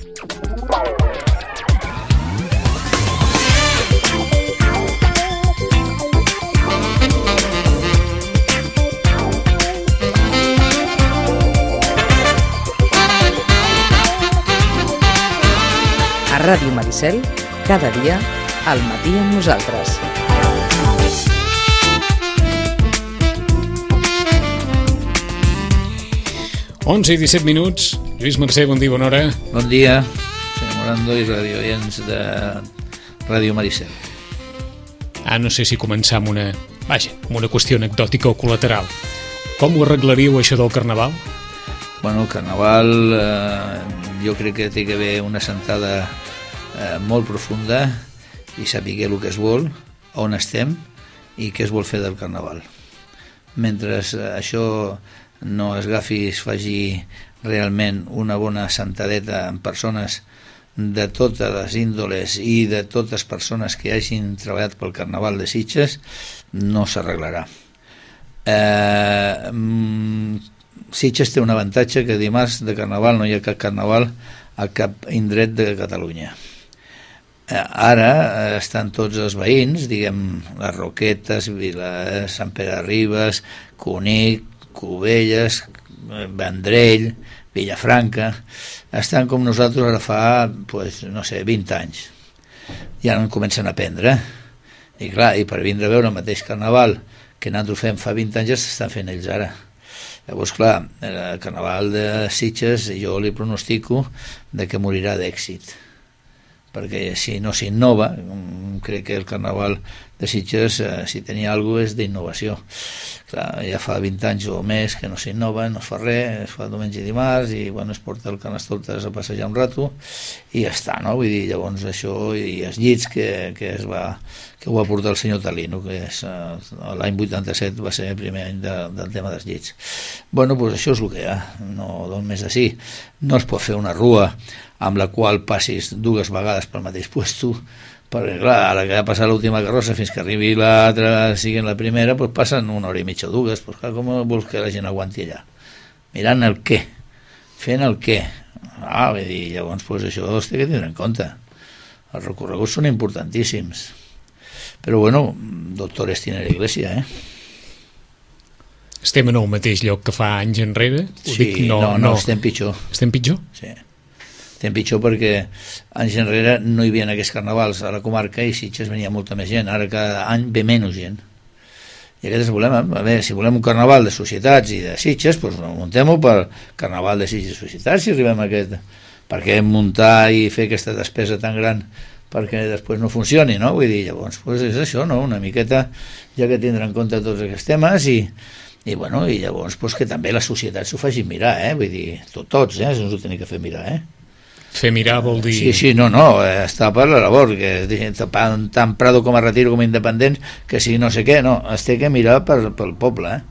A Ràdio Maricel, cada dia, al matí amb nosaltres. Onze i 17 minuts. Lluís Mercè, bon dia, bona hora. Bon dia, senyor Morando i radioients de Ràdio Maricel. No sé si començar amb una qüestió anecdòtica o col·lateral. Com ho arreglaríeu, això del Carnaval? Bueno, el Carnaval jo crec que té que haver una sentada molt profunda i saber el que es vol, on estem i què es vol fer del Carnaval. Mentre això no es agafi i es faci realment una bona sentadeta amb persones de totes les índoles i de totes les persones que hagin treballat pel Carnaval de Sitges, no s'arreglarà. Sitges té un avantatge, que dimarts de Carnaval no hi ha cap Carnaval a cap indret de Catalunya. Ara estan tots els veïns, diguem, les Roquetes, Sant Pere de Ribes, Cunic, Cubelles, Vendrell, Vilafranca, estan com nosaltres ara fa, no sé, 20 anys. I ara en comencen a aprendre. I clar, i per vindre a veure el mateix Carnaval que nosaltres fem fa 20 anys, ja s'estan fent ells ara. Llavors, clar, el Carnaval de Sitges jo li pronostico de que morirà d'èxit, perquè si no s'innova, crec que el Carnaval de Sitges, si tenia alguna cosa, és d'innovació. Clar, ja fa 20 anys o més que no s'innova, no es fa res, es fa diumenge i dimarts, i bueno, es porta el Carnestoltes a passejar un rato, i ja està, no? Vull dir, llavors això, i els llits que ho va portar el senyor Talino, que l'any 87 va ser el primer any del tema dels llits. Bueno, doncs això és el que hi ha, no d'on més de sí. No es pot fer una rua amb la qual passis dues vegades pel mateix puesto, perquè clar, ara que ha passat l'última carrossa fins que arribi l'altra, sigui la primera, doncs passen una hora i mitja o dues, doncs clar, com vols que la gent aguanti allà? Mirant el què, fent el què. Vull dir, llavors això es té que tindre en compte. Els recorreguts són importantíssims. Però bueno, doctores tiene la iglesia, Estem en el mateix lloc que fa anys enrere? Sí, no, estem pitjor. Estem pitjor? Sí. Estem pitjor perquè anys enrere no hi havia aquests carnavals a la comarca i Sitges venia molta més gent. Ara cada any ve menys gent. I aquest és el problema. A veure, si volem un carnaval de societats i de Sitges, doncs muntem-ho per carnaval de Sitges i societats si arribem a aquest. Per què muntar i fer aquesta despesa tan gran perquè després no funcioni, no? Vull dir, llavors, és això, no? Una miqueta, ja que tindrà en compte tots aquests temes i llavors que també la societat s'ho faci mirar, vull dir, tots, ens ho tenim que fer mirar, Fer mirar vol dir... Sí, no, està per la labor, que tant Prado com a Retiro com a Independents, que si no sé què, no, es té que mirar pel poble,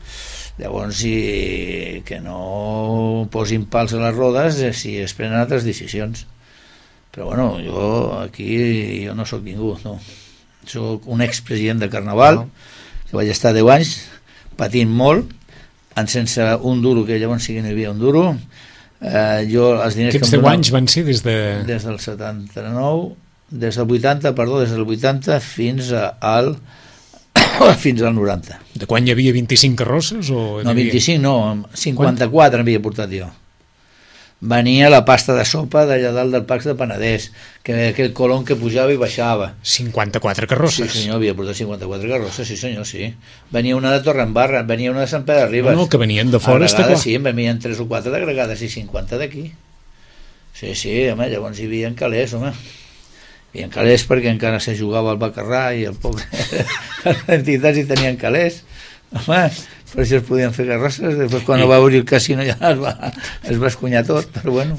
Llavors, que no posin pals a les rodes si es prenen altres decisions. Però bueno, jo no sóc ningú, no. Sóc un expresident de Carnaval, que vaig estar 10 anys patint molt, sense un duro, que llavors sí que no hi havia un duro. Aquests 10 anys van ser des del 79, des del 80 fins al 90. De quan hi havia 25 carrosses? No, 25 no, 54 n'havia portat jo. Venia la pasta de sopa d'allà dalt del Pacs de Penedès, que aquell colon que pujava i baixava. 54 carrosses? Sí senyor, havia portat 54 carrosses, sí senyor, sí. Venia una de Torredembarra, venia una de Sant Pere de Ribes. No, que venien de fora, està clar. Sí, en venien 3 o 4 d'agregades i 50 d'aquí. Sí, home, llavors hi havia calés, home. Hi havia calés perquè encara se jugava al Bacarrà i el poble, les entitats hi tenien calés. Home, per això es podien fer carrosses. Després quan va obrir el casino ja es va escunyar tot, però bueno.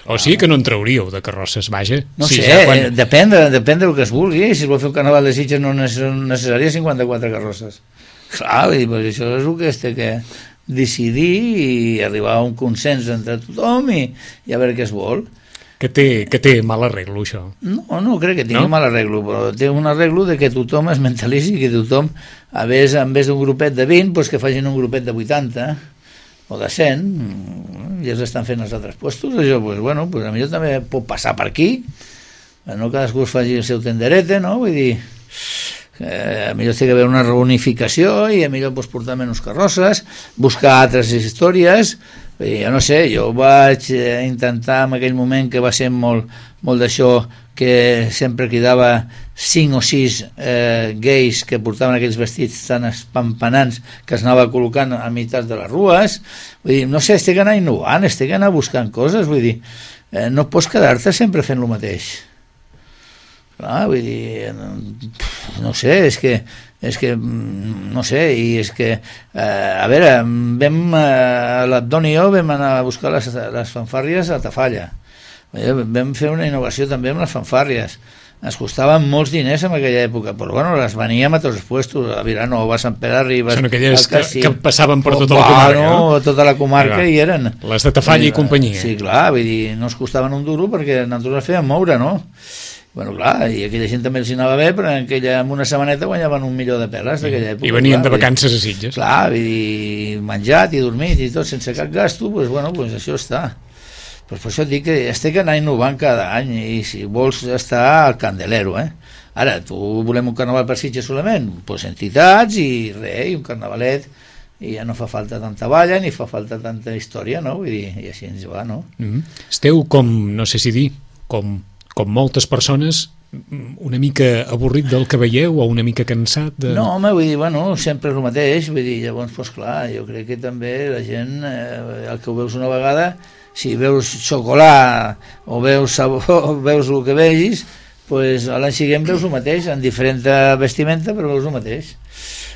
O sigui que no en trauríeu de carrosses, vaja. No sé, depèn del que es vulgui. Si es vol fer un carnaval de Sitges no necessaria 54 carrosses. Clar, això és el que es té que decidir i arribar a un consens entre tothom i a veure què es vol. Que té mal arreglo, això. No crec que tingui mal arreglo, però té un arreglo de que tothom es mentalitzi, que tothom, en vez d'un grupet de 20, doncs que facin un grupet de 80 o de 100, ja s'estan fent els altres puestos, això, pues, bueno, pues, a millor també pot passar per aquí, no cadascú es faci el seu tenderete, no? Vull dir, a millor té que haver una reunificació i a millor pues, portar menys carrosses, buscar altres històries. Jo no sé, jo vaig intentar en aquell moment que va ser molt d'això, que sempre cridava 5 o 6 gais que portaven aquells vestits tan espampanants que es anava col·locant a meitat de les rues. Vull dir, no sé, estic anar innovant, estic anar buscant coses, vull dir, no pots quedar-te sempre fent el mateix. Clar, vull dir, no sé, és que no sé, i és que a veure, l'Abdon i jo vam anar a buscar les fanfàrries a Tafalla. Vam fer una innovació també amb les fanfàrries. Ens costaven molts diners en aquella època, però bueno, les veníem a tots els puestos, a Vilanova, a Sant Pere Ribes... Són aquelles que passaven per tota la comarca, no? Tota la comarca hi eren. Les de Tafalla i companyia. Sí, clar, vull dir, no es costaven un duro perquè nosaltres les fèiem moure, no? Bueno, clar, i aquella gent també els anava bé, però en una setmaneta guanyaven 1 milió de peles d'aquella època. I venien de vacances a Sitges. Clar, vull dir, menjat i dormit i tot sense cap gasto, doncs bueno, doncs això està. Pues per això dic que estic anar innovant cada any i si vols estar al candelero, Ara, tu volem un carnaval per Sitges solament? Pues entitats i res, i un carnavalet, i ja no fa falta tanta balla ni fa falta tanta història, no? Vull dir, i així ens va, no? Esteu com, no sé si dir, com moltes persones, una mica avorrit del que veieu o una mica cansat de... No, home, vull dir, bueno, sempre és el mateix, vull dir, llavors, doncs clar, jo crec que també la gent, el que ho veus una vegada, si veus xocolat o veus sabó, o veus el que vegis, doncs a l'any següent veus el mateix, en diferent vestimenta, però veus el mateix.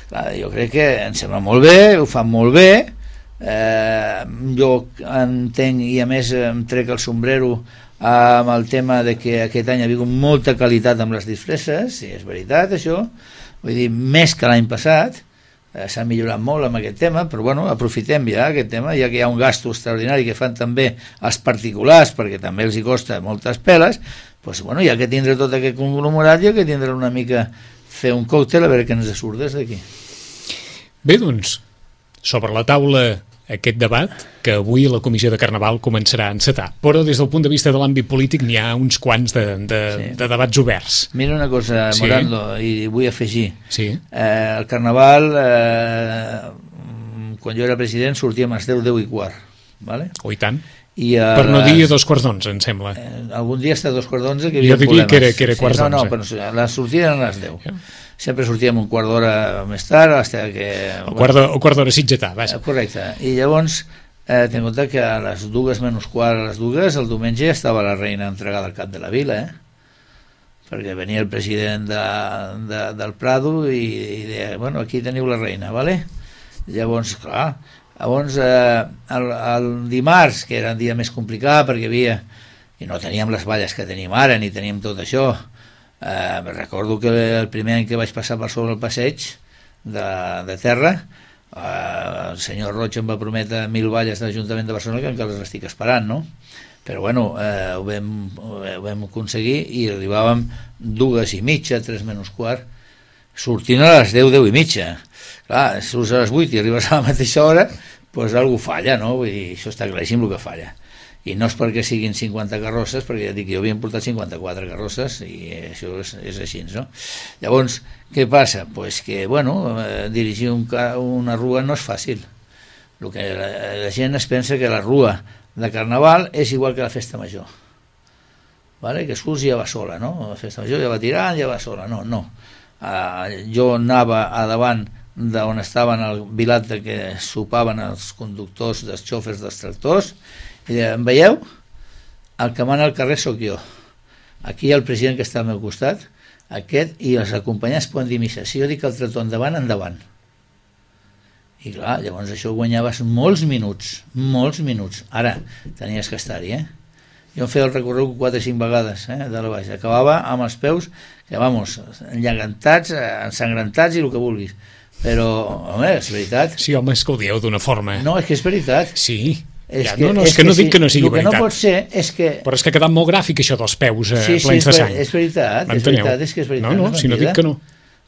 Clar, jo crec que em sembla molt bé, ho fan molt bé, jo entenc i a més em trec el sombrero amb el tema de que aquest any ha hagut molta qualitat amb les disfresses, i és veritat això, vull dir, més que l'any passat, s'ha millorat molt amb aquest tema, però bueno, aprofitem ja aquest tema, ja que hi ha un gasto extraordinari que fan també els particulars, perquè també els hi costa moltes peles, doncs bueno, ja que tindré tot aquest conglomerat, ja que tindré una mica fer un còctel a veure què ens surt des d'aquí. Bé, doncs, sobre la taula aquest debat que avui la Comissió de Carnaval començarà a encetar, però des del punt de vista de l'àmbit polític n'hi ha uns quants de debats oberts. Mira una cosa, Morando, i vull afegir. Sí. El Carnaval, quan jo era president, sortíem a les 10 i quart. ¿Vale? Oh, i tant. Per no dir 2:15, em sembla. Algun dia està 2:15 que hi havia problemes. Jo diria que era 2:15. No, però la sortida eren a les 10. Yeah. Sempre sortíem un quart d'hora més tard, hasta que... O quart d'hora sitgetà, vaja. Correcte. I llavors, ten en compte que a les 2:15, a les 2, el diumenge estava la reina entregada al cap de la vila, perquè venia el president del Prado i deia, bueno, aquí teniu la reina, ¿vale? Llavors, clar, el dimarts, que era un dia més complicat perquè havia, i no teníem les balles que tenim ara, ni teníem tot això, recordo que el primer any que vaig passar per sobre el passeig de terra, el senyor Roig em va prometre 1.000 balles de l'Ajuntament de Barcelona, que encara les estic esperant, no? Però bueno, ho vam aconseguir i arribàvem 2:30, 3:15, sortint a les 10:30. Clar, surts a les 8 i arribes a la mateixa hora, doncs alguna falla, no? Vull dir, això està claríssim el que falla. I no és perquè siguin 50 carrosses, perquè ja dic, jo havia portat 54 carrosses i això és així, no? Llavors, què passa? Pues que, bueno, dirigir una rua no és fàcil. El que la gent es pensa que la rua de Carnaval és igual que la festa major, vale? Que surts i ja va sola, no? La festa major ja va tirant, ja va sola, no. Jo anava a davant d'on estaven el vilat que sopaven els conductors dels xòfers dels tractors i deia, em veieu? El que mana al carrer sóc jo, aquí hi ha el president que està al meu costat, aquest, i els acompanyants poden dir missa, si jo dic el tractor endavant, i clar, llavors això guanyaves molts minuts, ara tenies que estar-hi, jo em feia el recorregut 4 o 5 vegades, de la baix, acabava amb els peus que, vamos, enllagantats, ensangrentats i el que vulguis, però, home, és veritat. Sí, home, és que ho dieu d'una forma. No, és que és veritat. Sí. És que no dic que no sigui veritat. El que no pot ser és que... Però és que ha quedat molt gràfic això dels peus plens de sang. Sí, és veritat, és que és veritat. No, si no dic que no.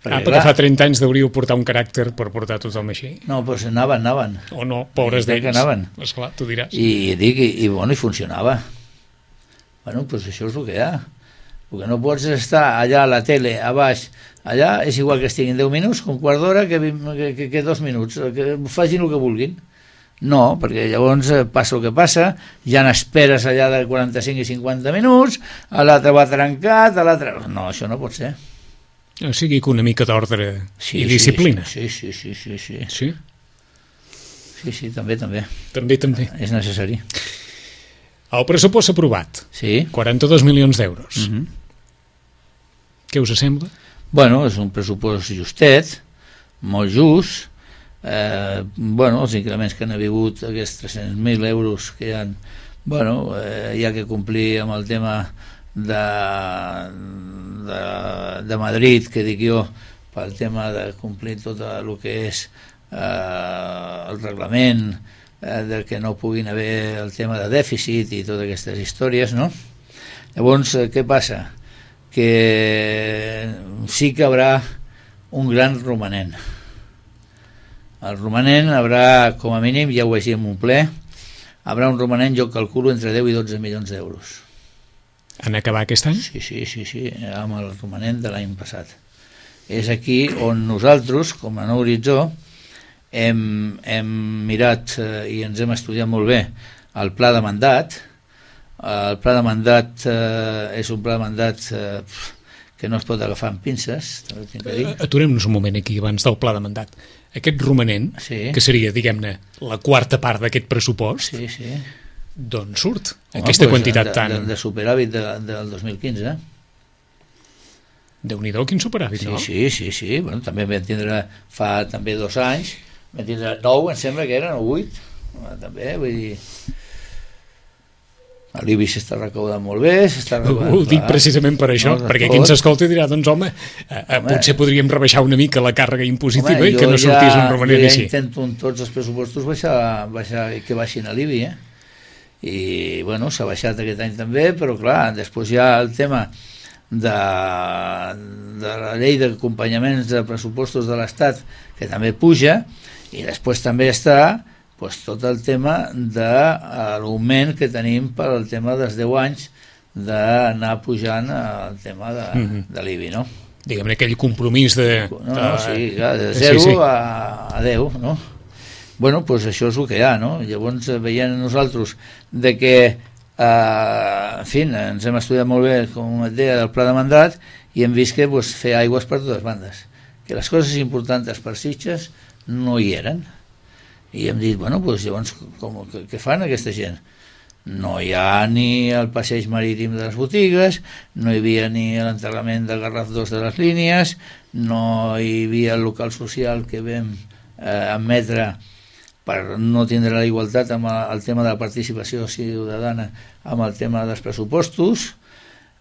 perquè fa 30 anys deuríeu portar un caràcter per portar tothom així. No, doncs anaven. O no, pobres d'ells. Anaven. Esclar, tu diràs. I funcionava. Bueno, doncs això és el que hi ha. El que no pots estar allà a la tele, a baix, allà és igual que estiguin 10 minuts, un quart d'hora, que 2 minuts, que facin el que vulguin. No, perquè llavors passa el que passa, ja n'esperes allà de 45 i 50 minuts, l'altre va trencat, l'altre... No, això no pot ser. O sigui que una mica d'ordre i disciplina. Sí. Sí? Sí, també. També. És necessari. El pressupost aprovat. Sí. 42 milions d'euros. Què us sembla? Bueno, és un pressupost justet, molt just. Els increments que han hagut, aquests 300.000 euros que hi ha, hi ha que complir amb el tema de Madrid, que dic jo, pel tema de complir tot el que és el reglament, de que no puguin haver el tema de dèficit i totes aquestes històries, no? Llavors, què passa? Que sí que haurà un gran romanent. El romanent haurà, com a mínim, ja ho vaig dir en un ple, haurà un romanent, jo calculo, entre 10 i 12 milions d'euros. En acabar aquest any? Sí, amb el romanent de l'any passat. És aquí on nosaltres, com a Nou Horitzó, hem mirat i ens hem estudiat molt bé el pla de mandat. El pla de mandat és un pla de mandat que no es pot agafar amb pinces. Aturem-nos un moment aquí abans del pla de mandat. Aquest romanent, que seria, diguem-ne, la quarta part d'aquest pressupost, d'on surt aquesta quantitat tan... De superàvit del 2015. Déu-n'hi-do, quin superàvit, no? Sí. Bueno, també vam tindre fa també 2 anys, vam tindre 9, em sembla que eren, o 8, també, vull dir... L'IBI s'està recaudant molt bé, Ho dic precisament per això, perquè qui ens escolta dirà, doncs home, potser podríem rebaixar una mica la càrrega impositiva i que no sortís un romanent així. Jo ja intento en tots els pressupostos baixar que baixin a l'IBI, i bueno, s'ha baixat aquest any també, però clar, després hi ha el tema de la llei d'acompanyaments de pressupostos de l'Estat, que també puja, i després també està tot el tema de l'augment que tenim per al tema dels 10 anys d'anar pujant el tema de l'IBI, no? Diguem-ne aquell compromís de... Sí, clar, de 0 a 10, no? Bueno, doncs això és el que hi ha, no? Llavors veient nosaltres de que, en fi, ens hem estudiat molt bé, com et deia, del pla de mandat, i hem vist que fer aigües per totes bandes, que les coses importants per Sitges no hi eren. I hem dit, bueno, doncs llavors què fan aquesta gent? No hi ha ni el passeig marítim de les botigues, no hi havia ni l'enterrament de Garraf 2 de les línies, no hi havia el local social que vam admetre per no tindre la igualtat amb el tema de la participació ciutadana amb el tema dels pressupostos.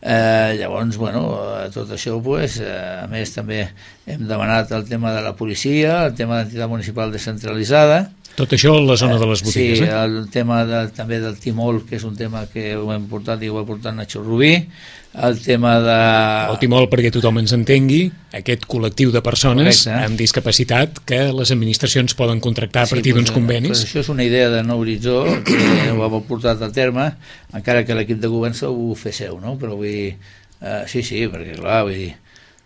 Llavors, bueno, tot això, a més també hem demanat el tema de la policia, el tema d'entitat municipal descentralitzada. Tot això a la zona de les botigues, Sí, el tema també del timol, que és un tema que ho hem portat i ho ha portat Nacho Rubí, el tema de... El timol, perquè tothom ens entengui, aquest col·lectiu de persones amb discapacitat que les administracions poden contractar a partir d'uns convenis. Això és una idea de Nou Horitzó, que ho ha portat a terme, encara que l'equip de govern ho fer seu, no? Però vull dir, sí, perquè clar, vull dir,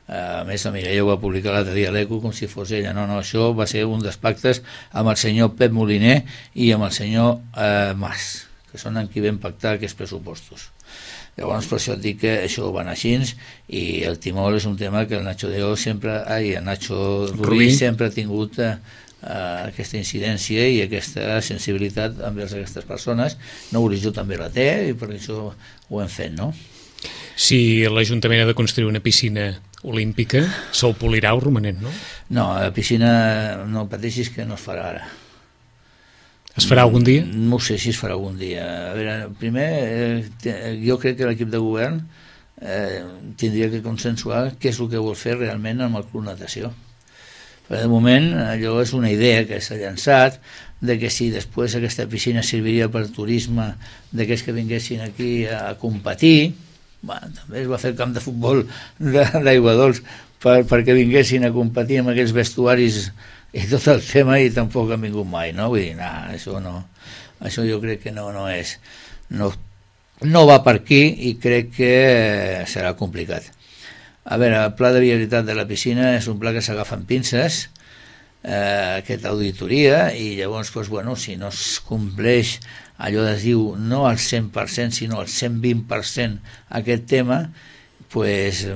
a més la Mireia ho va publicar l'altre dia a l'Eco com si fos ella, no, això va ser un dels pactes amb el senyor Pep Moliner i amb el senyor Mas, que són amb qui vam pactar aquests pressupostos. Llavors per això et dic que això va anar així, i el timol és un tema que el Nacho Rubí sempre ha tingut aquesta incidència i aquesta sensibilitat envers aquestes persones. Nou Horitzó també la té i per això ho hem fet, no? Si l'Ajuntament ha de construir una piscina olímpica, se'l polirà el romanent, no? No, la piscina no pateixis que no es farà ara. Es farà algun dia? No sé si es farà algun dia. A veure, primer, jo crec que l'equip de govern tindria que consensuar què és el que vol fer realment amb el Club Natació. Però de moment allò és una idea que s'ha llançat, de que si després aquesta piscina serviria per turisme d'aquells que vinguessin aquí a competir, també es va fer el camp de futbol d'Aigua Dols perquè vinguessin a competir amb aquells vestuaris i tot el tema, i tampoc han vingut mai, no? Vull dir, això no, això jo crec que no és, no va per aquí, i crec que serà complicat. A veure, el pla de viabilitat de la piscina és un pla que s'agafa amb pinces, aquesta auditoria, i llavors, doncs, bueno, si no es compleix allò es diu no al 100% sinó al 120% aquest tema, pues,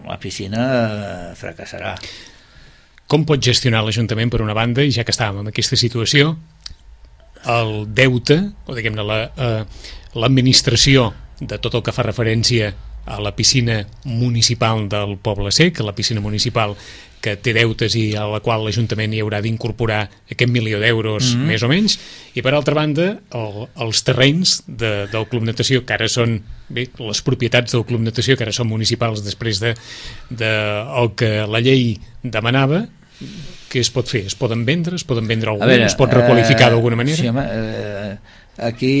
la piscina fracassarà. Com pot gestionar l'Ajuntament, per una banda, i ja que estàvem en aquesta situació, el deute, o diguem-ne l'administració de tot el que fa referència a la piscina municipal del Poble Sec, a la piscina municipal que té deutes i a la qual l'Ajuntament hi haurà d'incorporar aquest 1.000.000 d'euros més o menys, i per altra banda els terrenys del Club Natació, que ara són les propietats del Club Natació, que ara són municipals després de el que la llei demanava. Què es pot fer? Es poden vendre? Es poden vendre algú? Es pot requalificar d'alguna manera? Sí, home, aquí,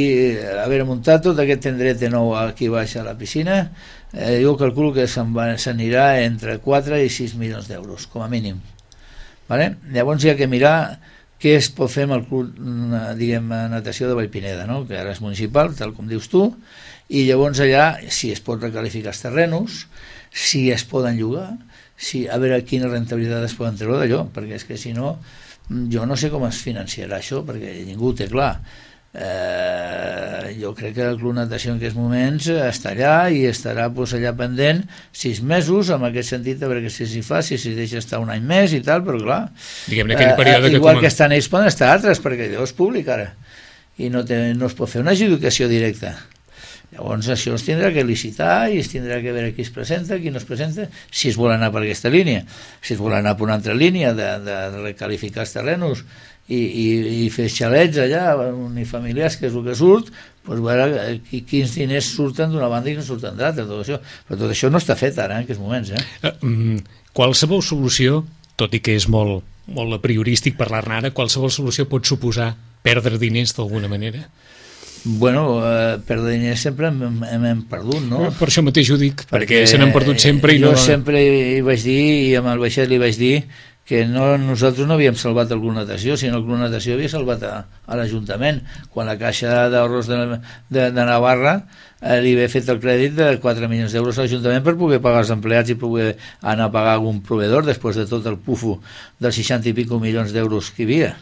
haver muntat tot aquest tendret de nou aquí baix a la piscina, jo calculo que s'anirà entre 4 i 6 milions d'euros, com a mínim. Vale? Llavors hi ha que mirar què es pot fer amb el club, diguem, natació de Vallpineda, no? Que ara és municipal, tal com dius tu, i llavors allà si es pot recalificar els terrenos, si es poden llogar, a veure quina rentabilitat es poden treure d'allò, perquè és que si no, jo no sé com es financiarà això, perquè ningú ho té clar. Jo crec que el Club Natació en aquests moments està allà i estarà allà pendent 6 mesos, en aquest sentit, a veure què s'hi fa, si s'hi deixa estar un any més i tal, però clar, igual que estan ells poden estar altres, perquè allò és públic ara i no es pot fer una adjudicació directa. Llavors això es tindrà que licitar i es tindrà que veure qui es presenta, qui no es presenta, si es vol anar per aquesta línia. Si es vol anar per una altra línia de recalificar els terrenos i fer xalets allà, unifamiliars, que és el que surt, doncs veure quins diners surten d'una banda i no surten d'altra, tot això. Però tot això no està fet ara, en aquests moments. Qualsevol solució, tot i que és molt a priorístic parlar-ne ara, qualsevol solució pot suposar perdre diners d'alguna manera? Bueno, perdre diners sempre hem perdut, no? Per això mateix ho dic, perquè se n'han perdut sempre. Jo sempre hi vaig dir, i amb el Baixet li vaig dir, que nosaltres no havíem salvat el Club Natació, sinó el Club Natació havia salvat a l'Ajuntament, quan la Caixa d'Ahorros de Navarra li havia fet el crèdit de 4 milions d'euros a l'Ajuntament per poder pagar els empleats i poder anar a pagar algun proveedor després de tot el pufo dels 60 i pico milions d'euros que hi havia.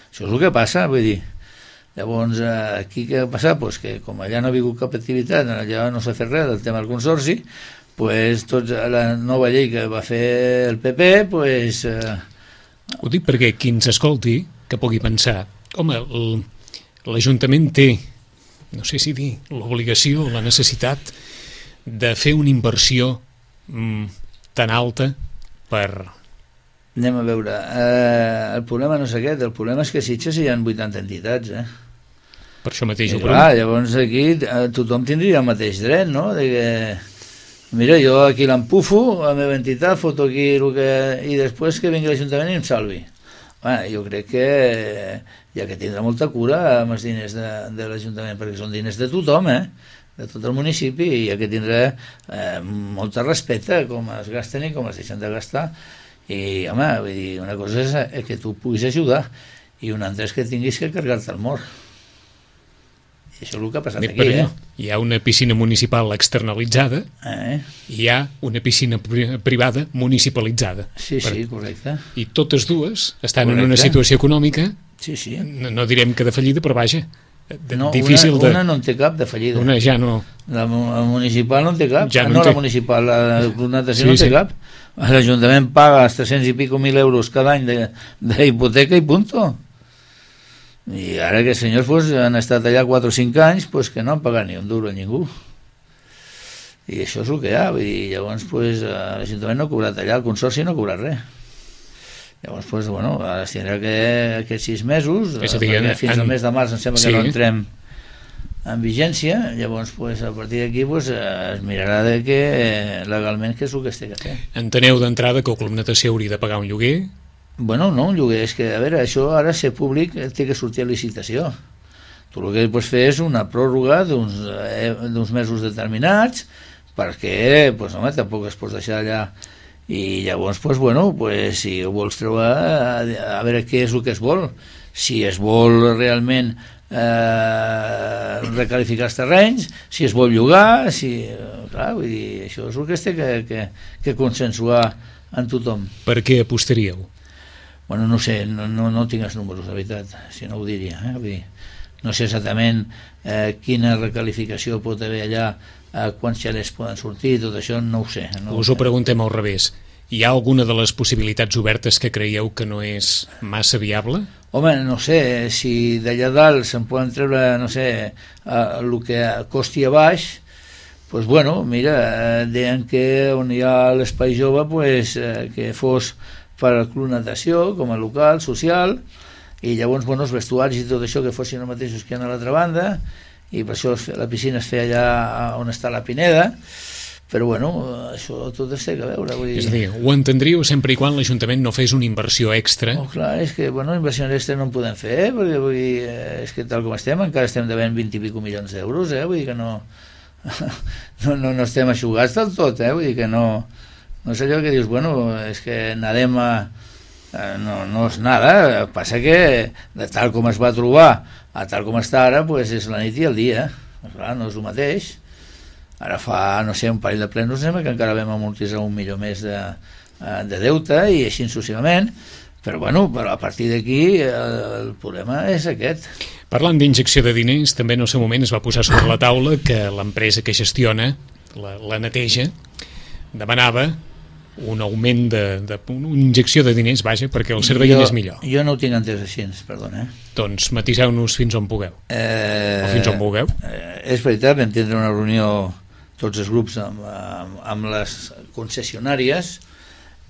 Això és el que passa, vull dir. Llavors, aquí què ha passat? Pues que com allà no ha hagut cap activitat, allà no s'ha fet res del tema del consorci, pues tots la nova llei que va fer el PP, pues... Ho dic perquè qui ens escolti, que pugui pensar, home, l'Ajuntament té, no sé si dir, l'obligació, la necessitat de fer una inversió tan alta per... Anem a veure, el problema no és aquest, el problema és que a Sitges hi ha 80 entitats, Per això mateix ho clar, llavors aquí tothom tindria el mateix dret, no? De que, mira, jo aquí l'empufo, la meva entitat, foto aquí i després que vingui l'Ajuntament i em salvi. Bueno, jo crec que hi ha que tindre molta cura amb els diners de l'Ajuntament, perquè són diners de tothom, de tot el municipi, i hi ha que tindre molta respecte com es gasten i com es deixen de gastar. I, home, vull dir, una cosa és que tu puguis ajudar i una altra és que tinguis que carregar-te el mort. I això és el que ha passat aquí, Hi ha una piscina municipal externalitzada i hi ha una piscina privada municipalitzada. Sí, correcte. I totes dues estan en una situació econòmica, no direm que de fallida, però vaja, difícil de... Una no en té cap de fallida. Una ja no... La municipal no en té cap. La municipal, la Club Natació no en té cap. L'Ajuntament paga els 300 i pico mil euros cada any d'hipoteca i punto. I ara que els senyors han estat allà 4 o 5 anys, que no han pagat ni un duro a ningú. I això és el que hi ha. Llavors l'Ajuntament no ha cobrat allà, el Consorci no ha cobrat res. Llavors, ara es tindrà que aquests 6 mesos, fins al mes de març em sembla que no entrem en vigència, llavors a partir d'aquí es mirarà de que legalment què és el que es té que fer. Enteneu d'entrada que el Club Natació hauria de pagar un lloguer? Bueno, no un lloguer, és que, a veure, això ara ser públic té que sortir a licitació. Tu el que pots fer és una pròrroga d'uns mesos determinats perquè, doncs, home, tampoc es pot deixar allà. I llavors, doncs, bueno, pues, si ho vols treure, a veure què és el que es vol. Si es vol realment recalificar els terrenys, si es vol llogar, clar, vull dir, això és el que es té que consensuar en tothom. Per què apostaríeu? Bueno, no sé, no tinc els números, de veritat, si no ho diria. Vull dir, no sé exactament quina recalificació pot haver allà, quants xalets poden sortir, tot això no ho sé. Us ho preguntem al revés. Hi ha alguna de les possibilitats obertes que creieu que no és massa viable? Home, no sé, si d'allà dalt se'n poden treure, no sé, el que costi a baix, doncs, bueno, mira, deien que on hi ha l'espai jove, pues, que fos per al club natació, com a local, social, i llavors, bueno, els vestuaris i tot això que fossin els mateixos que hi ha a l'altra banda, i per això la piscina es feia allà on està la Pineda, però bueno, això tot es té que veure. Vull dir... És a dir, ho entendríeu sempre i quan l'Ajuntament no fes una inversió extra? Oh, clar, és que, bueno, inversions extra no en podem fer, perquè vull dir, és que tal com estem, encara estem devent 20 i pico milions d'euros, vull dir que no estem aixugats del tot, vull dir que no és allò que dius, bueno, és que nadem a... No és nada, passa que de tal com es va trobar a tal com està ara, pues és la nit i el dia, clar, no és el mateix. Ara fa, no sé, un parell de plenos que encara vam amortitzar 1 milió més de deute i així successivament, però bueno, però a partir d'aquí el problema és aquest. Parlant d'injecció de diners, també en el seu moment es va posar sobre la taula que l'empresa que gestiona la neteja demanava un augment una injecció de diners, vaja, perquè el servei és millor. Jo no ho tinc entès així, perdona. Doncs matiseu-nos fins on pugueu. O fins on vulgueu. És veritat, vam tindre una reunió tots els grups amb les concessionàries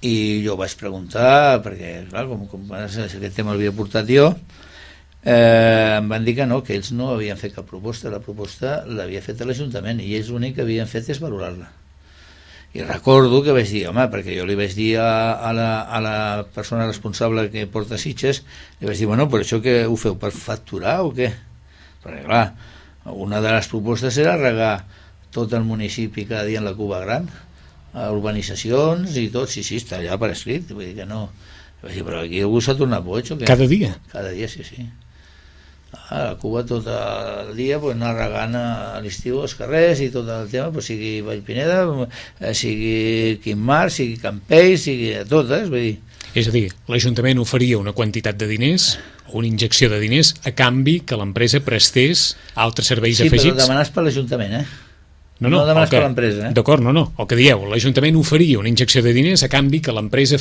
i jo vaig preguntar, perquè clar, com aquest tema l'havia portat jo, em van dir que no, que ells no havien fet cap proposta, la proposta l'havia fet l'Ajuntament i ells l'únic que havien fet és valorar-la. I recordo que vaig dir, home, perquè jo li vaig dir a la persona responsable que porta Sitges, li vaig dir, bueno, però això que ho feu per facturar o què? Perquè clar, una de les propostes era regar tot el municipi cada dia en la Cuba Gran, a urbanitzacions i tot, sí, està allà per escrit, vull dir que no. Vaig dir, però aquí algú s'ha tornat boig o què? Cada dia? Cada dia, sí. A la Cuba tot el dia pues, anar regant a l'estiu als carrers i tot el tema, pues, sigui Vallpineda, sigui Quimar, sigui Campell, sigui totes, vull dir. És a dir, l'Ajuntament oferia una quantitat de diners, una injecció de diners, a canvi que l'empresa prestés altres serveis afegits. Sí, però demanes per l'Ajuntament, No demanes per l'empresa, D'acord, no. El que dieu, l'Ajuntament oferia una injecció de diners a canvi que l'empresa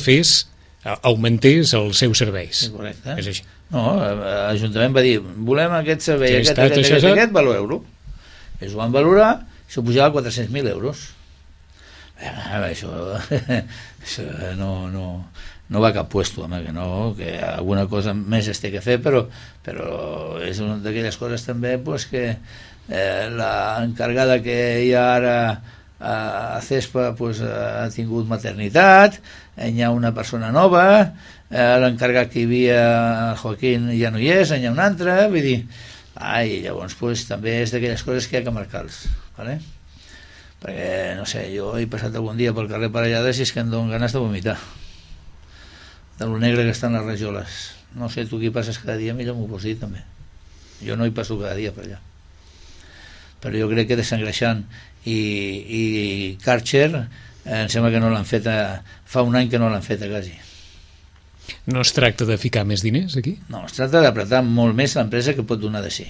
augmentés els seus serveis. Sí, correcte. És així. No, l'Ajuntament va dir, volem aquest servei, aquest, valoreu-lo. Ells ho van valorar, això pujava a 400.000 euros. Això no va a cap puesto, home, que alguna cosa més es té que fer, però és una d'aquelles coses també pues, que l'encargada que hi ha ara a CESPA pues, ha tingut maternitat, hi ha una persona nova, l'encarregat que hi havia, el Joaquín, ja no hi és, hi ha un altre, vull dir, i llavors pues, també és d'aquelles coses que hi ha que marcar-los, ¿vale? Perquè, no sé, jo he passat algun dia pel carrer Parellades i és que em donen ganes de vomitar, de lo negre que estan les rajoles. No sé, tu qui passes cada dia, millor m'ho pots dir també. Jo no hi passo cada dia per allà. Però jo crec que desengreixant i Karcher em sembla que no l'han fet fa un any que no l'han fet quasi. No es tracta de ficar més diners aquí? No, es tracta d'apretar molt més l'empresa que pot donar de si.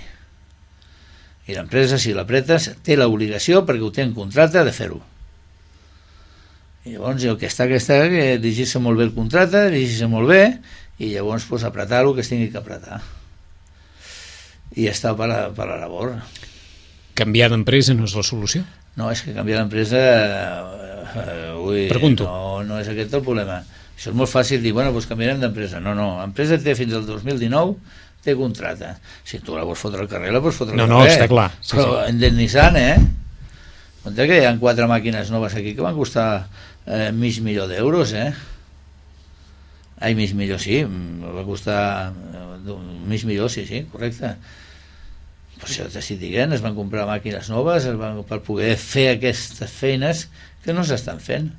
I l'empresa, si l'apretes, té l'obligació, perquè ho té en contracte, de fer-ho. I llavors el que està, que dirigir-se molt bé el contracte, dirigir-se molt bé, i llavors pues, apretar el que es tingui que apretar. I està per la labor. Canviar d'empresa no és la solució? No, és que canviar d'empresa... Pregunto. No és aquest el problema. Això és molt fàcil dir, bueno, doncs canviarem d'empresa. No, l'empresa té fins al 2019, té contracte. Si tu la vols fotre al carrer, la pots fotre al carrer. No, està clar. Sí, però indemnitzant, Compte que hi ha 4 màquines noves aquí que van costar mig milió d'euros, Ai, mig milió, sí, va costar mig milió, sí, correcte. això t'estic dient, es van comprar màquines noves per poder fer aquestes feines que no s'estan fent.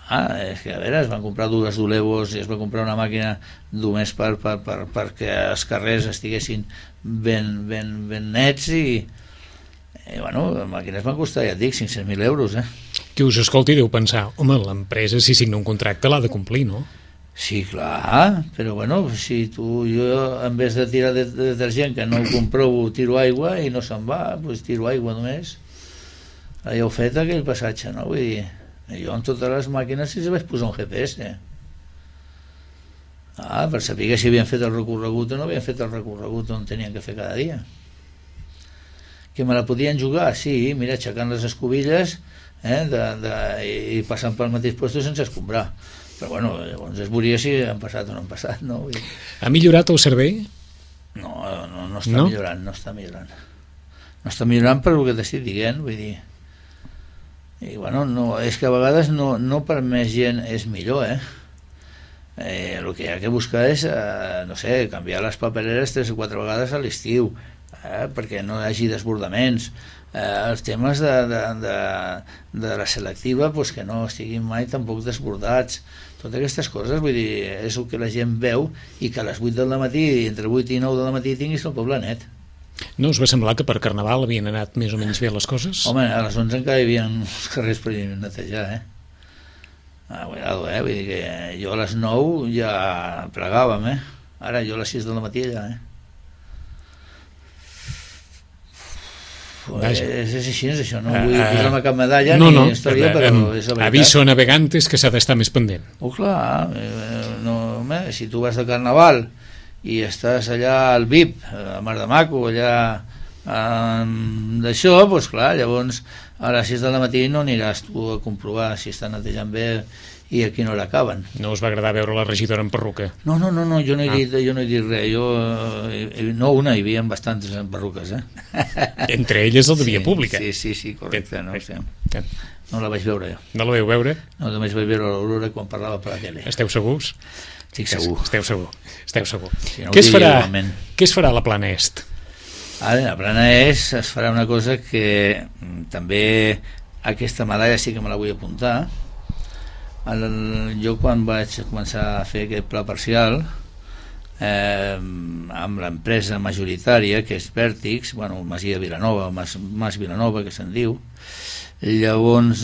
És que a veure, es van comprar dues d'Olevos i es va comprar una màquina només perquè els carrers estiguessin ben nets i bueno, les màquines van costar, ja et dic, 500.000 euros, Qui us escolti deu pensar, home, l'empresa si signa un contracte l'ha de complir, no? Sí, clar, però bueno, si jo en vez de tirar de detergent que no ho comprovo, tiro aigua i no se'n va, doncs tiro aigua només. Ja heu fet aquell passatge, no? Vull dir, jo amb totes les màquines si vaig posar un GPS. Per saber si havien fet el recorregut o no havien fet el recorregut on tenien que fer cada dia. Que me la podien jugar? Sí, mira, aixecant les escobilles i passant pel mateix lloc sense escombrar. Però bueno, llavors es veuria si han passat o no han passat, no? Ha millorat el servei? No està millorant, no està millorant. No està millorant per el que t'estic dient, vull dir. I bueno, és que a vegades no per més gent és millor, el que hi ha que buscar és, no sé, canviar les papereres 3 o 4 vegades a l'estiu, perquè no hi hagi desbordaments. Els temes de la selectiva pues, que no estiguin mai tampoc desbordats, totes aquestes coses, vull dir, és el que la gent veu i que a les 8 del matí, entre 8 i 9 del matí tinguis el poble net. No us va semblar que per Carnaval havien anat més o menys bé les coses? Home, a les 11 encara hi havia uns carrers per netejar, cuidado, vull dir que jo a les 9 ja plegàvem, ara jo a les 6 del matí ja, és així, és això, no vull posar-me cap medalla ni història, però és la veritat. Aviso a navegantes que s'ha d'estar més pendent. Clar, si tu vas de Carnaval i estàs allà al VIP, a Mar de Maco, allà d'això, doncs clar, llavors a les 6 del matí no aniràs tu a comprovar si estan netejant bé i a quina hora acaben. No us va agradar veure la regidora en perruca? No, jo no he dit res. No una, hi havia bastantes en perruques, Entre elles el de Via Pública. Sí, correcte, no la vaig veure jo. No la vau veure? No, només vaig veure l'Aurora quan parlava per la tele. Esteu segurs? Estic segur. Esteu segur. Si no Què es farà a la Plana Est? A la Plana Est es farà una cosa que també aquesta medalla sí que me la vull apuntar. Jo quan vaig començar a fer aquest pla parcial amb l'empresa majoritària que és Vèrtix, Masia Vilanova, Mas Vilanova que se'n diu, llavors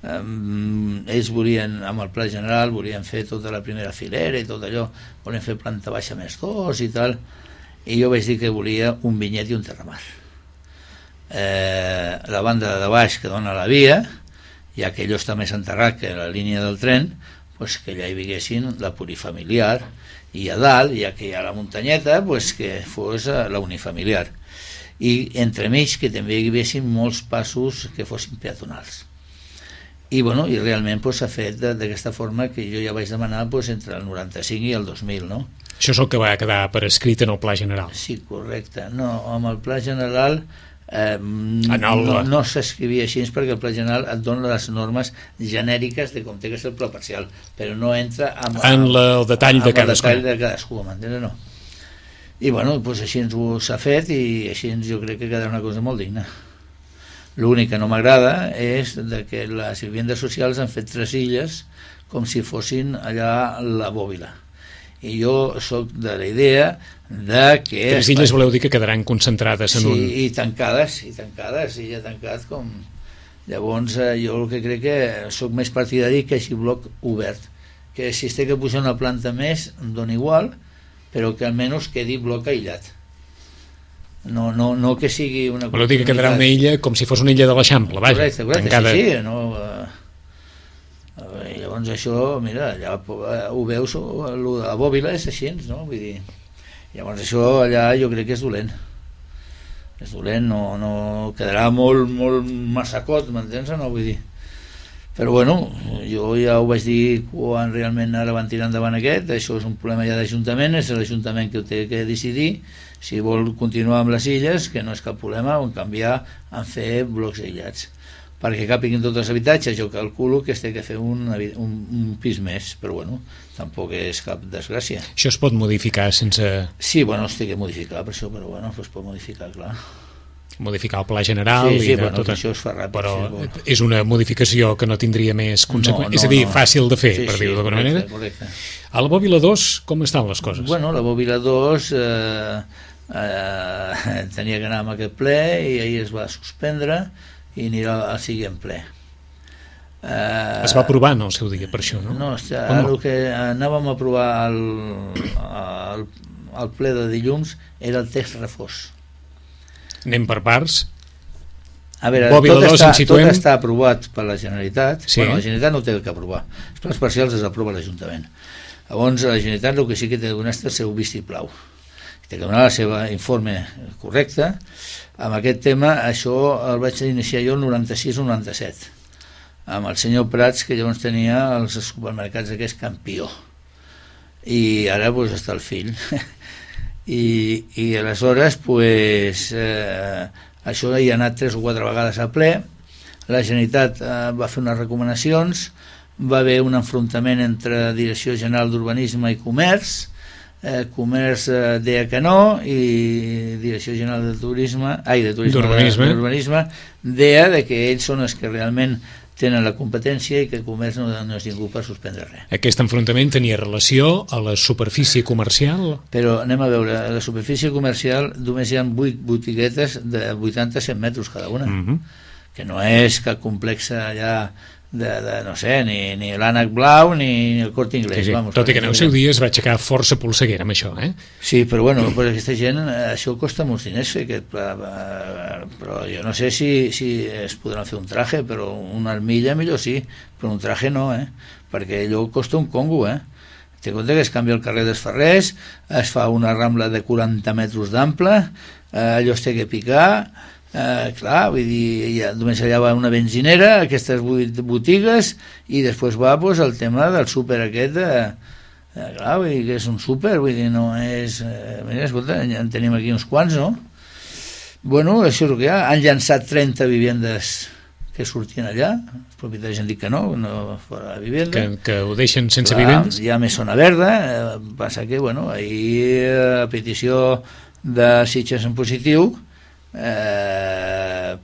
ells volien, amb el pla general volien fer tota la primera filera i tot allò, volien fer planta baixa més 2 i tal, i jo vaig dir que volia un vinyet i un terramar. La banda de baix que dona la via, ja que allò està més enterrat que la línia del tren, pues que allà hi viguessin la plurifamiliar, i a dalt, ja que hi ha la muntanyeta, pues que fos la unifamiliar. I entremig que també hi haguessin molts passos que fossin peatonals. I realment s'ha fet d'aquesta forma que jo ja vaig demanar entre el 95 i el 2000, no? Això és el que va quedar per escrit en el Pla General. Sí, correcte. No, amb el Pla General no s'escrivia així perquè el Pla General et dona les normes genèriques de com té que ser el pla parcial, però no entra en el detall de cadascú, m'entens? No. I així s'ha fet i així jo crec que quedarà una cosa molt digna. L'únic que no m'agrada és que les vivendes socials han fet 3 illes com si fossin allà la Bòbila. I jo sóc de la idea de que... 3 illes voleu dir que quedaran concentrades en un... Sí, i tancades, illa tancat com... Llavors jo el que crec que sóc més partidari que així bloc obert, que si es té que posar una planta més em dona igual, però que almenys quedi bloc aïllat. No que sigui una... Voleu dir que quedarà una illa com si fos una illa de l'Eixample, vaja. Correcte, tancada. Sí, no... Llavors això, mira, allà ho veus, la Bòbila és així, no? Vull dir, llavors això allà jo crec que és dolent. És dolent, no quedarà molt massacot, m'entens? No, vull dir. Però jo ja ho vaig dir quan realment ara van tirar endavant aquest, això és un problema ja d'Ajuntament, és l'Ajuntament que ho té que decidir, si vol continuar amb les illes, que no és cap problema, o en canviar en fer blocs aïllats. perquè capiguin tots els habitatges, jo calculo que es té que fer un pis més, però bueno, tampoc és cap desgràcia. Això es pot modificar sense... Sí, bueno, es té que modificar per això, però bueno, es pot modificar, clar. Modificar el pla general sí, i bueno, tot això es fa ràpid, però és una modificació que no tindria més conseqüències, és a dir, fàcil de fer, per dir-ho d'alguna manera. Correcte. A la Bòbila 2 com estan les coses? Bueno, la Bòbila 2 tenia que anar amb aquest ple i ahir es va suspendre i anirà al següent ple. Es va aprovar en el seu dia per això, no? No, el que anàvem a aprovar al ple de dilluns era el text refós. Anem per parts. A veure, tot està aprovat per la Generalitat. Sí. Bueno, la Generalitat no té el que aprovar. Els plans parcials els aprova l'Ajuntament. Llavors, la Generalitat el que sí que té de donar és el seu vistiplau. Té que donar el seu informe correcte. Amb aquest tema, això el vaig iniciar jo el 96-97, amb el senyor Prats, que llavors tenia els supermercats d'aquest Campió. I ara doncs, està el fill. I aleshores pues, això hi ha anat 3 o 4 vegades a ple. La Generalitat va fer unes recomanacions, va haver un enfrontament entre Direcció General d'Urbanisme i Comerç. Comerç deia que no i Direcció General d'Urbanisme deia que ells són els que realment tenen la competència i que el comerç no és ningú per suspendre res. Aquest enfrontament tenia relació a la superfície comercial? Però anem a veure, a la superfície comercial només hi ha 8 botiguetes de 80-100 metres cada una, que no és cap complex allà no sé, ni l'Ànec Blau ni el Corte Inglés. Sí, sí. Vamos, tot i que en el seu dia es va aixecar força polseguera amb això, eh? Sí, però bueno, per aquesta gent això costa molts diners fer aquest pla, però jo no sé si es podran fer un traje, però una armilla millor sí, però un traje no, perquè allò costa un congo, té compte que es canvia el carrer dels Ferrers, es fa una rambla de 40 metres d'ample, allò es té que picar. Clar, vull dir, només allà va una benzinera, aquestes 8 botigues, i després va pues, el tema del súper aquest, clar, vull dir que és un súper, vull dir, no és... mira, escolta, en tenim aquí uns quants, no? Bueno, això és el que hi ha. Han llançat 30 vivendes que sortien allà, els propietaris han dit que no fora la vivenda. Que ho deixen sense vivendes? Hi ha més zona verda, passa que, bueno, ahir a petició de Sitges en positiu,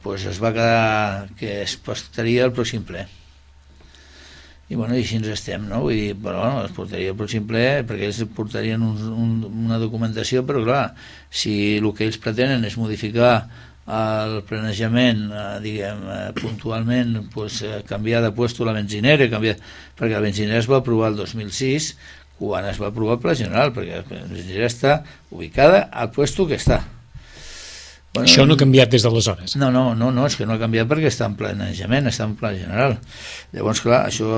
pues es va quedar que es postaria el pròxim ple i bueno, i així ens estem, no? Vull dir, però bueno, es portaria el pròxim ple perquè ells portarien una documentació, però clar, si el que ells pretenen és modificar el planejament, diguem, puntualment, pues, canviar de puesto la benzinera, perquè la benzinera es va aprovar el 2006 quan es va aprovar el Pla General, perquè la benzinera està ubicada al puesto que està. Bueno, això no ha canviat des d'aleshores? No, és que no ha canviat perquè està en planejament, està en pla general. Llavors, clar, això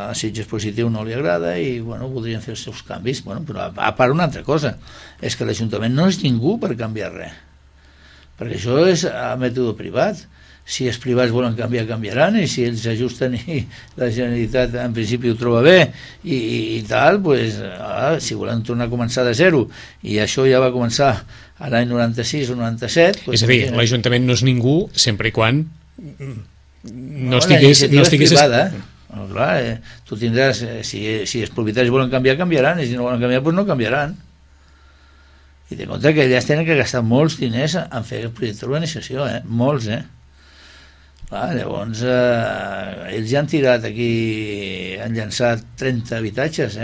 a Sitges Positiu no li agrada i, bueno, voldrien fer els seus canvis. Bueno, però a part una altra cosa, és que l'Ajuntament no és ningú per canviar res, perquè això és a mètode privat. Si els privats volen canviar, canviaran, i si ells s'ajusten i la Generalitat en principi ho troba bé i tal, pues, si volen tornar a començar de zero, i això ja va començar a l'any 96 o 97... Pues, és a dir, l'Ajuntament no és ningú sempre i quan no estigués... La iniciativa és privada. No, clar, tu tindràs... Si els propietaris volen canviar, canviaran, i si no volen canviar, pues no canviaran. I té compte que ells tenen que gastar molts diners en fer el projecte d'urbanització, molts, Clar, llavors, ells ja han tirat aquí, han llançat 30 habitatges,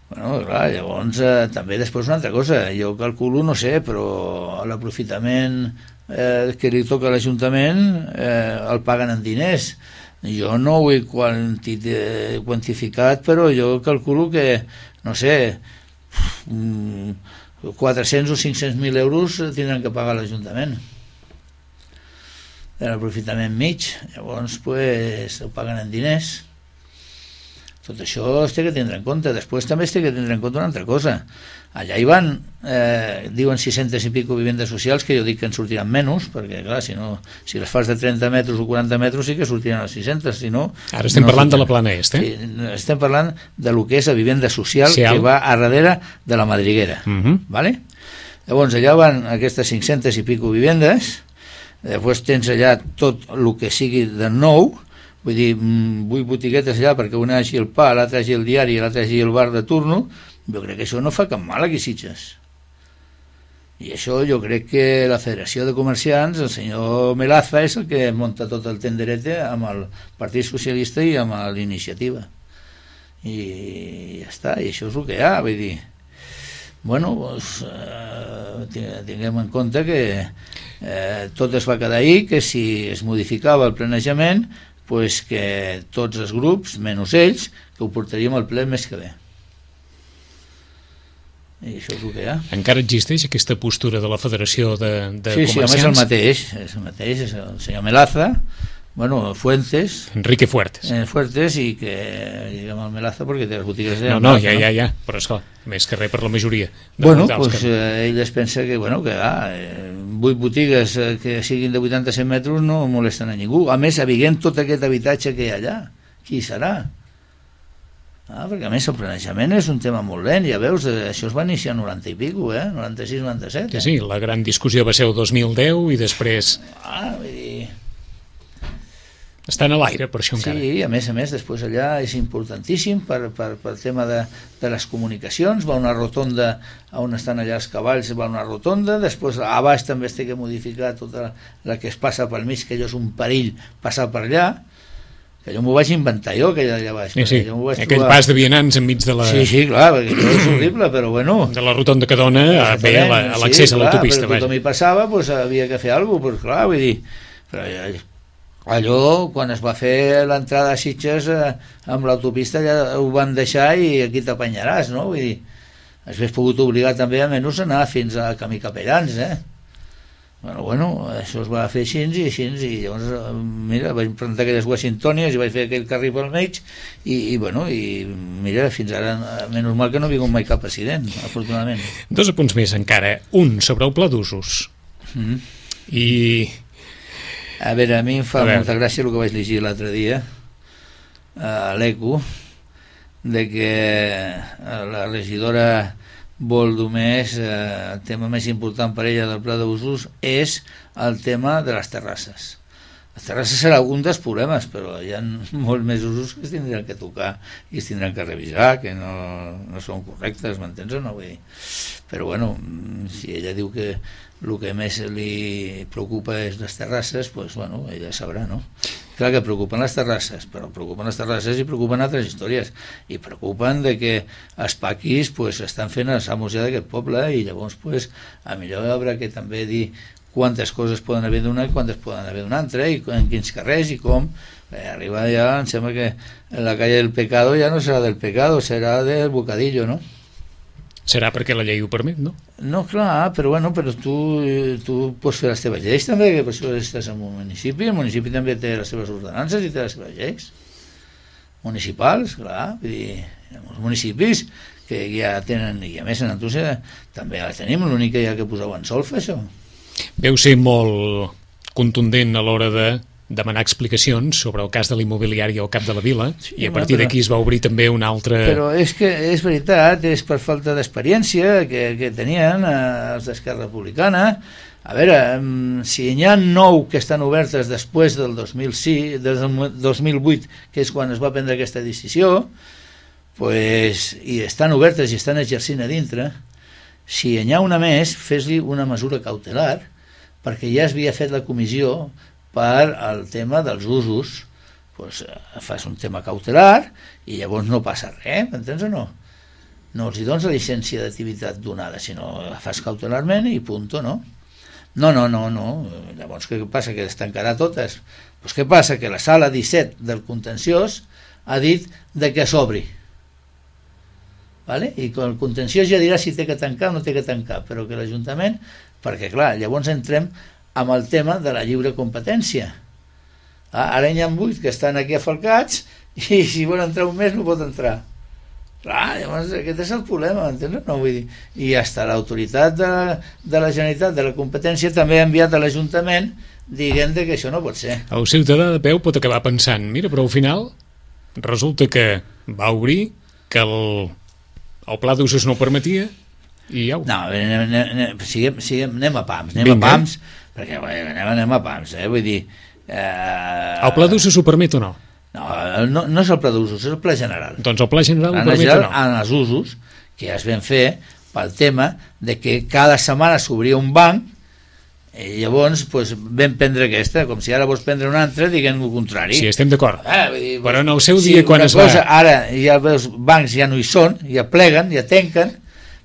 Bueno, clar, llavors, també després una altra cosa, jo calculo, no sé, però l'aprofitament que li toca a l'Ajuntament el paguen en diners. Jo no ho he quantificat, però jo calculo que, no sé, 400 o 500.000 euros tindran que pagar l'Ajuntament de l'aprofitament mig. Llavors pues, ho paguen en diners. Tot això es té que tindre en compte. Després també es té que tindre en compte una altra cosa. Allà hi van, diuen 600 i pico vivendes socials, que jo dic que en sortiran menys, perquè clar, si les fas de 30 metres o 40 metres sí que sortiran a 600, si no... Ara estem parlant de la Plana Est, Sí, estem parlant de lo que és la vivenda social que va a darrere de la madriguera, ¿vale? Llavors allà van aquestes 500 i pico vivendes, Després tens allà tot el que sigui de nou, vull dir, 8 botiguetes allà perquè una hagi el pa, l'altra hagi el diari i l'altra hagi el bar de turno. Jo crec que això no fa cap mal aquí a Sitges. I això jo crec que la Federació de Comerciants, el senyor Melaza, és el que munta tot el tenderete amb el Partit Socialista i amb l'Iniciativa. I ja està, i això és el que hi ha, vull dir. Bueno, doncs, tinguem en compte que tot es va quedar ahir, que si es modificava el planejament, pues que tots els grups, menys ells, que ho portaríem al ple el mes que ve. I això és el que hi ha. Encara existeix aquesta postura de la Federació de Comerciants? Sí, és el mateix, és el senyor Melaza, bueno, Fuentes. Enrique Fuertes. Fuertes, i que, diguem, el Melaza, perquè té les botigues de... No, ja, però esclar, més que res per la majoria. Bueno, doncs ell es pensa que, bueno, que 8 botigues que siguin de 87 metres no molesten a ningú. A més, havent tot aquest habitatge que hi ha allà, qui serà? Perquè a més el planejament és un tema molt lent, ja veus, això es va iniciar 90 i pico, 96, 97. Sí, la gran discussió va ser el 2010 i després... Vull dir... Estan a l'aire, per això encara. Sí, a més, després allà és importantíssim per tema de les comunicacions, va una rotonda on estan allà els cavalls, va una rotonda, després a baix també es té que modificar tota la que es passa pel mig, que allò és un perill passar per allà, que jo m'ho vaig inventar jo, que allà baix. Sí, aquell pas de vianants enmig de la... Sí, clar, perquè això és horrible, però bueno... De la rotonda que dona a l'accés a l'autopista. Però tothom hi passava, doncs havia que fer alguna cosa, clar, vull dir... Però allò, quan es va fer l'entrada a Sitges amb l'autopista, ja ho van deixar i aquí t'apanyaràs, no? Vull dir, has pogut obligar també a menys a anar fins a Camí Capellans, Bueno, això es va fer així, i llavors, mira, vaig plantar aquelles Washingtonies i vaig fer aquell carril pel mig, i mira, fins ara, menys mal que no ha vingut mai cap accident, afortunadament. 2 apunts més encara. Un, sobre el pla d'usos. I... A veure, a mi em fa molta gràcia el que vaig llegir l'altre dia a l'ECO, de que la regidora Boldomés, el tema més important per ella del pla d'usos és el tema de les terrasses. Les terrasses serà un dels problemes, però hi ha molts més usos que es tindran que tocar i es tindran que revisar, que no són correctes, m'entens o no? Vull dir. Però bueno, si ella diu que el que més li preocupa és les terrasses, doncs bueno, ella sabrà, no? Clar que preocupen les terrasses, però preocupen les terrasses i preocupen altres històries, i preocupen de que els paquis pues, estan fent els amos ja d'aquest poble, i llavors pues, a millor haurà que també dir quantes coses poden haver d'una i quantes poden haver d'una altra, i en quins carrers i com. Arriba ja, em sembla que la calle del pecado ja no serà del pecado, serà del bocadillo, no? Serà perquè la llei ho permet, no? No, clar, però bueno, però tu pots fer les teves lleis també, que per això estàs en un municipi, el municipi també té les seves ordenances i té les seves lleis municipals, clar, vull dir, els municipis que ja tenen, i a més en Antúcia també les tenim, l'únic que hi ha que posar en solfa, això. Veu ser molt contundent a l'hora de demanar explicacions sobre el cas de l'immobiliari al cap de la vila, sí, i a partir d'aquí es va obrir també una altra... Però és que és veritat, és per falta d'experiència que tenien els d'Esquerra Republicana. A veure, si n'hi ha 9 que estan obertes després del 2006, del 2008, que és quan es va prendre aquesta decisió, pues, i estan obertes i estan exercint a dintre, si n'hi ha una més, fes-li una mesura cautelar, perquè ja es havia fet la comissió per al tema dels usos, doncs fas un tema cautelar i llavors no passa res, m'entens o no? No els hi dones la llicència d'activitat donada, sinó la fas cautelarment i punto, no? No. Llavors què passa? Que es tancarà totes. Doncs què passa? Que la sala 17 del contenciós ha dit de que s'obri. Vale? I el contenciós ja dirà si té que tancar o no té que tancar, però que l'Ajuntament, perquè clar, llavors entrem amb el tema de la lliure competència. Ara hi ha 8 que estan aquí afalcats i si vol entrar un mes no pot entrar. Clar, llavors aquest és el problema, entens? No, vull dir, i hasta l'autoritat de la Generalitat de la competència també ha enviat a l'Ajuntament dient que això no pot ser. El ciutadà de peu pot acabar pensant, mira, però al final resulta que va obrir, que el pla d'usos no ho permetia i au. No, anem a pams, perquè anem a pams, vull dir... El pla d'usos ho permet o no? No és el pla d'usos, és el pla general. Doncs el pla general ho permet o no? En els usos, que ja es van fer pel tema de que cada setmana s'obria un banc i llavors vam prendre aquesta, com si ara vols prendre una altra, diguem el contrari. Sí, estem d'acord. Dir, però en el seu dia, quan es va... Ara ja els bancs ja no hi són, ja pleguen, ja tanquen,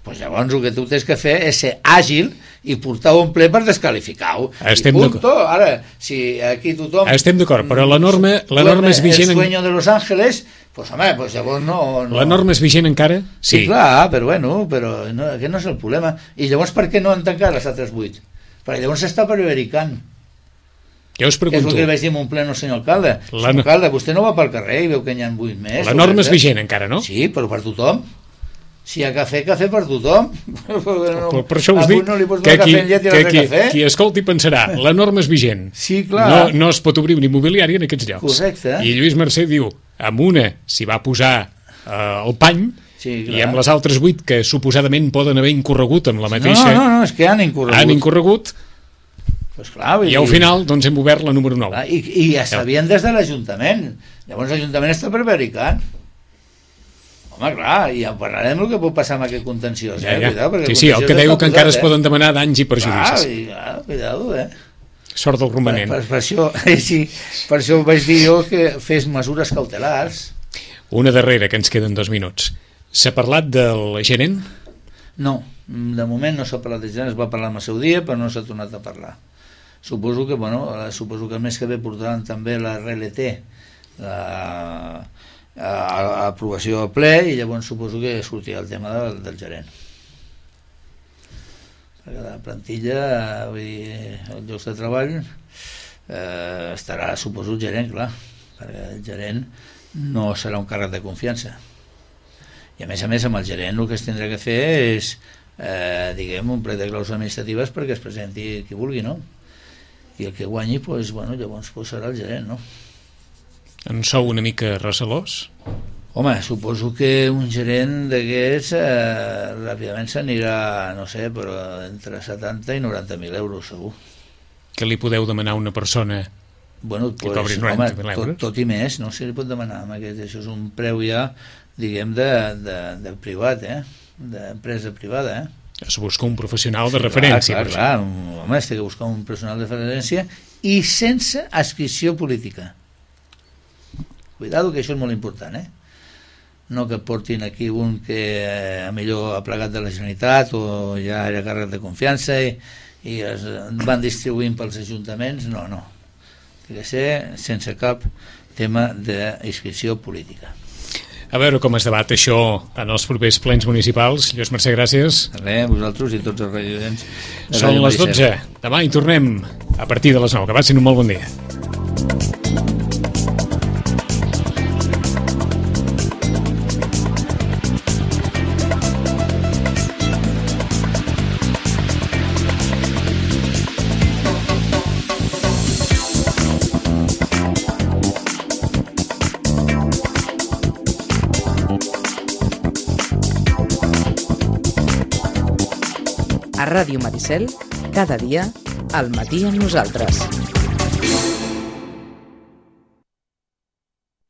doncs llavors el que tu tens que fer és ser àgil i portar-ho en ple per descalificar-ho. Estem d'acord. Ara, si aquí tothom... Estem d'acord, però la norma és vigent... El sueño de Los Ángeles, pues home, pues llavors no... La norma és vigent encara? Sí, clar, però aquest no és el problema. I llavors per què no han tancat les altres 8? Perquè llavors s'està prevaricant. Jo us pregunto... És el que vaig dir en un pleno, senyor alcalde. Senyor alcalde, vostè no va pel carrer i veu que n'hi ha 8 més. La norma és vigent encara, no? Sí, però per tothom. Si hi ha cafè per tothom. Per això us dic que qui escolti pensarà, la norma és vigent. Sí, clar. No es pot obrir una immobiliària en aquests llocs. Correcte. I Lluís Mercè diu, amb una s'hi va posar el pany, sí, i amb les altres 8 que suposadament poden haver incorregut amb la mateixa... No, és que han incorregut. Han incorregut, pues clar, i al final doncs hem obert la número 9. I ja sabien des de l'Ajuntament. Llavors l'Ajuntament està prevaricant. Home, clar, i ja parlarem del que pot passar amb aquest contenciós. Cuidado, sí, el que deu que encara es poden demanar danys i perjudicis. Cuidado, Sort del romanent. Per això vaig dir jo que fes mesures cautelars. Una darrera, que ens queden 2 minuts. S'ha parlat del gerent? No, de moment no s'ha parlat del gerent, es va parlar en el seu dia, però no s'ha tornat a parlar. Suposo que el mes que ve portaran també la RLT, a aprovació del ple, i llavors suposo que sortirà el tema del gerent, perquè la plantilla, vull dir, els llocs de treball estarà, suposo, el gerent, clar, perquè el gerent no serà un càrrec de confiança, i a més amb el gerent el que es tindrà que fer és diguem, un plec de clàusules administratives perquè es presenti qui vulgui, no? I el que guanyi, llavors serà el gerent, no? En sou una mica recelós? Home, suposo que un gerent d'aquests ràpidament s'anirà, no sé, però entre 70 i 90.000 euros, segur. Que li podeu demanar a una persona que cobri 90.000 euros? Tot i més, no se li pot demanar. Això és un preu ja, diguem, de privat, d'empresa privada, Es busca un professional de referència. Clar, home, es té que buscar un professional de referència i sense adscripció política. Cuidado, que això és molt important, no que portin aquí un que millor ha plegat de la Generalitat o ja era càrrec de confiança i es van distribuint pels ajuntaments, no. Té que ser sense cap tema d'inscripció política. A veure com es debat això en els propers plens municipals. Lluís Mercè, gràcies. Res, vosaltres i tots els regidents. Són les 12. Demà hi tornem a partir de les 9. Que passin un molt bon dia. A Ràdio Maricel, cada dia, al matí amb nosaltres.